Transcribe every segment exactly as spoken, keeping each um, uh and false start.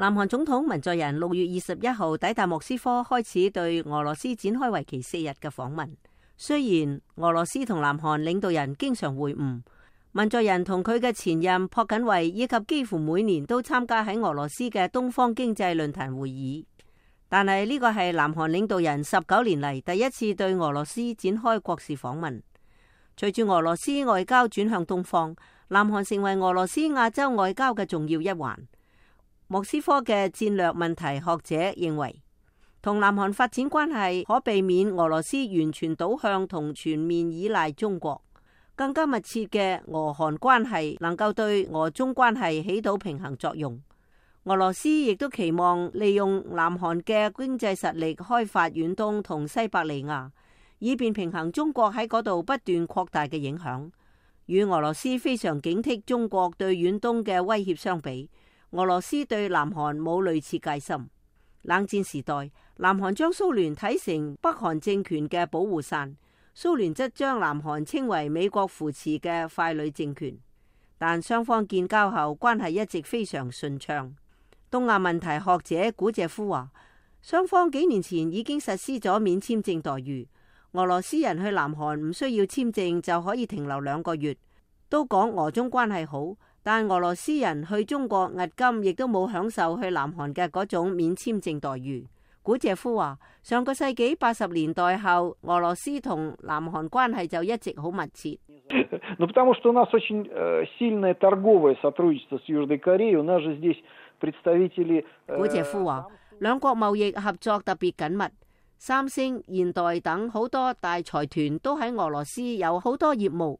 南韓總統文在寅六月二十一號抵達莫斯科，開始對俄羅斯展開為期四日嘅訪問。雖然俄羅斯同南韓領導人經常會晤，文在寅同佢嘅前任朴槿惠以及幾乎每年都參加喺俄羅斯嘅東方經濟論壇會議，但係呢個係南韓領導人十九年嚟第一次對俄羅斯展開國事訪問。隨住俄羅斯外交轉向東方，南韓成為俄羅斯亞洲外交嘅重要一環。莫斯科嘅戰略問題學者認為，同南韓發展關係可避免俄羅斯完全倒向同全面依賴中國，更加密切嘅俄韓關係能夠對俄中關係起到平衡作用。俄羅斯亦都期望利用南韓嘅經濟實力開發遠東同西伯利亞，以便平衡中國喺嗰度不斷擴大嘅影響。與俄羅斯非常警惕中國對遠東嘅威脅相比，俄羅斯對南韓冇類似戒心。冷戰時代，南韓將蘇聯睇成北韓政權嘅保護傘，蘇聯則將南韓稱為美國扶持嘅傀儡政權。但雙方建交後，關係一直非常順暢。東亞問題學者古謝夫話，雙方幾年前已經實施咗免簽證待遇，俄羅斯人去南韓唔需要簽證就可以停留兩個月。都講俄中關係好，但俄羅斯人去中國押金亦都冇享受去南韓嘅嗰種免簽證待遇。古謝夫話，上個世紀八十年代後，俄羅斯同南韓關係就一直好密切。Ну, потому что у нас очень сильное торговое сотрудничество с Южной Кореей. У нас же здесь представители. 古謝夫話，兩國貿易合作特別緊密，三星、現代等好多大財團都喺俄羅斯有好多業務。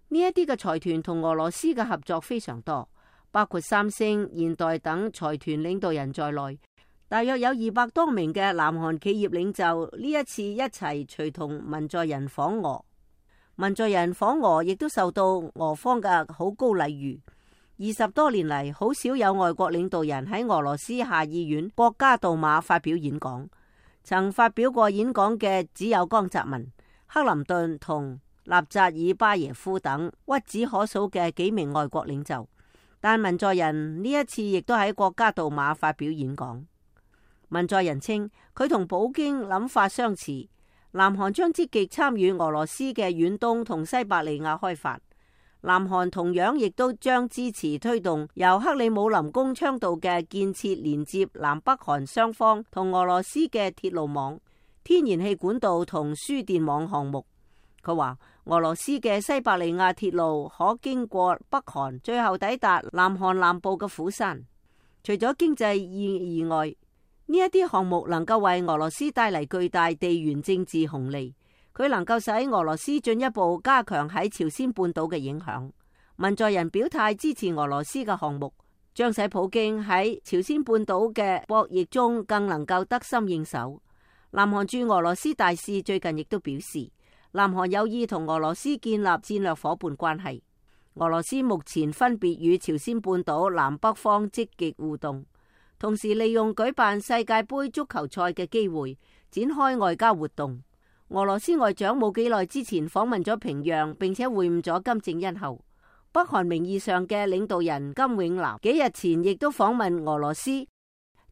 呢一啲嘅財團同俄羅斯嘅合作非常多，包括三星、現代等財團領導人在內，大約有二百多名嘅南韓企業領袖呢一次一齊隨同文在寅訪俄。文在寅訪俄亦都受到俄方嘅好高禮遇。二十多年嚟，好少有外國領導人喺俄羅斯下議院國家杜馬發表演講。曾發表過演講嘅只有江澤民、克林頓同納扎爾巴耶夫等屈指可數嘅幾名外國領袖，但文在寅呢一次亦都喺國家杜馬發表演講。文在寅稱佢同普京諗法相似，南韓將積極參與俄羅斯嘅遠東同西伯利亞開發。南韓同樣亦都將支持推動由克里姆林宮倡導嘅建設連接南北韓雙方同俄羅斯嘅鐵路網、天然氣管道同輸電網項目。佢話俄羅斯嘅西伯利亞鐵路可經過北韓，最後抵達南韓南部嘅釜山。除咗經濟意義外，呢一啲項目能夠為俄羅斯帶嚟巨大地緣政治紅利。佢能夠使俄羅斯進一步加強喺朝鮮半島嘅影響。文在寅表態支持俄羅斯嘅項目，將使普京喺朝鮮半島嘅博弈中更能夠得心應手。南韓駐俄羅斯大使最近亦都表示，南韓有意同俄羅斯建立戰略夥伴關係。俄羅斯目前分別與朝鮮半島南北方積極互動，同時利用舉辦世界盃足球賽嘅機會展開外交活動。俄羅斯外長冇幾耐之前訪問咗平壤，並且會晤咗金正恩後，北韓名義上嘅領導人金永南幾日前亦都訪問俄羅斯，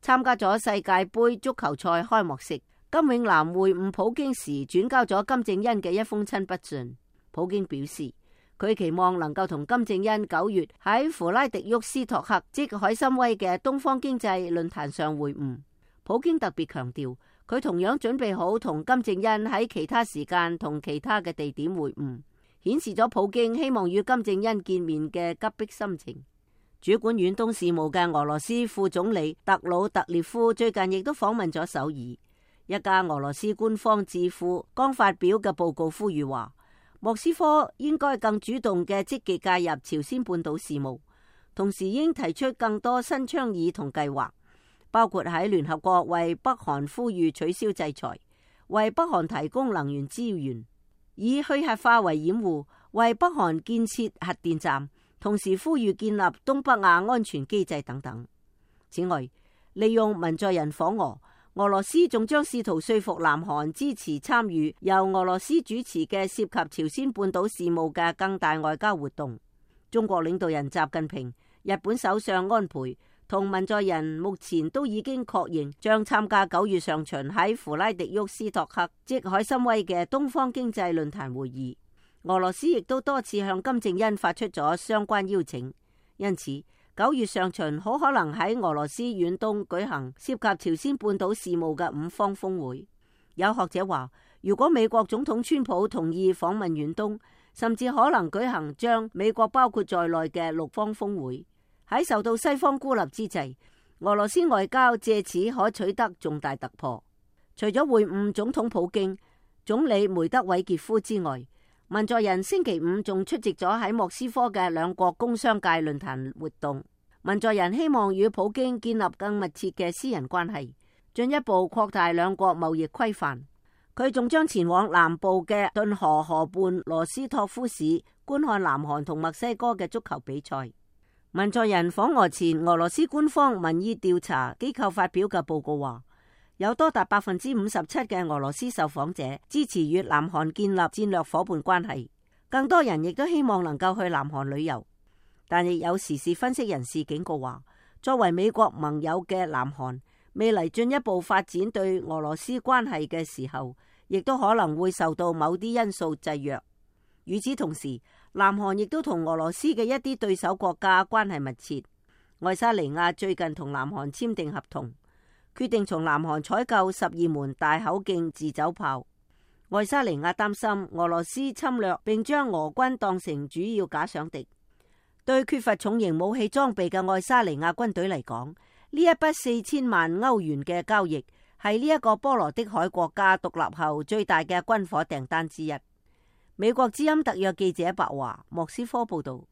參加咗世界盃足球賽開幕式。金永南會晤普京時轉交咗金正恩嘅一封親筆信。普京表示，佢期望能夠同金正恩九月喺弗拉迪沃斯托克即海參崴嘅東方經濟論壇上會晤。普京特別強調，佢同樣準備好同金正恩喺其他時間同其他嘅地點會晤，顯示咗普京希望與金正恩見面嘅急迫心情。主管遠東事務嘅俄羅斯副總理特魯特列夫最近亦都訪問咗首爾。一家俄羅斯官方智庫剛發表嘅報告呼籲話，莫斯科應該更主動嘅積極介入朝鮮半島事務，同時應提出更多新倡議同計劃，包括喺聯合國為北韓呼籲取消制裁，為北韓提供能源資源，以去核化為掩護，為北韓建設核電站，同時呼籲建立東北亞安全機制等等。此外，利用文在寅訪俄，俄羅斯仲將試圖說服南韓支持參與由俄羅斯主持嘅涉及朝鮮半島事務嘅更大外交活動。中國領導人習近平、日本首相安倍同文在寅目前都已經確認將參加九月上旬喺弗拉迪沃斯托克即海參崴嘅東方經濟論壇會議。俄羅斯亦都多次向金正恩發出咗相關邀請，因此九月上旬好可能喺俄羅斯遠東舉行涉及朝鮮半島事務嘅五方峰會。有學者話，如果美國總統川普同意訪問遠東，甚至可能舉行將美國包括在內嘅六方峰會。喺受到西方孤立之際，俄羅斯外交借此可取得重大突破。除咗會晤總統普京、總理梅德韋傑夫之外，文在寅星期五仲出席咗喺莫斯科嘅兩國工商界論壇活動。文在寅希望與普京建立更密切嘅私人關係，進一步擴大兩國貿易規範。佢仲將前往南部嘅頓河河畔羅斯托夫市觀看南韓同墨西哥嘅足球比賽。文在寅訪俄前，俄羅斯官方民意調查機構發表嘅報告話，有多達百分之五十七嘅俄羅斯受訪者支持與南韓建立戰略夥伴關係，更多人亦都希望能夠去南韓旅遊。但亦有時事分析人士警告話，作為美國盟友嘅南韓，未來進一步發展對俄羅斯關係嘅時候，亦都可能會受到某啲因素制約。與此同時，南韓亦都同俄羅斯嘅一啲對手國家關係密切。愛沙尼亞最近同南韓簽訂合同，決定從南韓採購十二門大口徑自走炮。愛沙尼亞擔心俄羅斯侵略，並將俄軍當成主要假想敵。對缺乏重型武器裝備嘅愛沙尼亞軍隊嚟講，呢一筆四千萬歐元嘅交易係呢一個波羅的海國家獨立後最大嘅軍火訂單之一。美國之音特約記者白華莫斯科報道。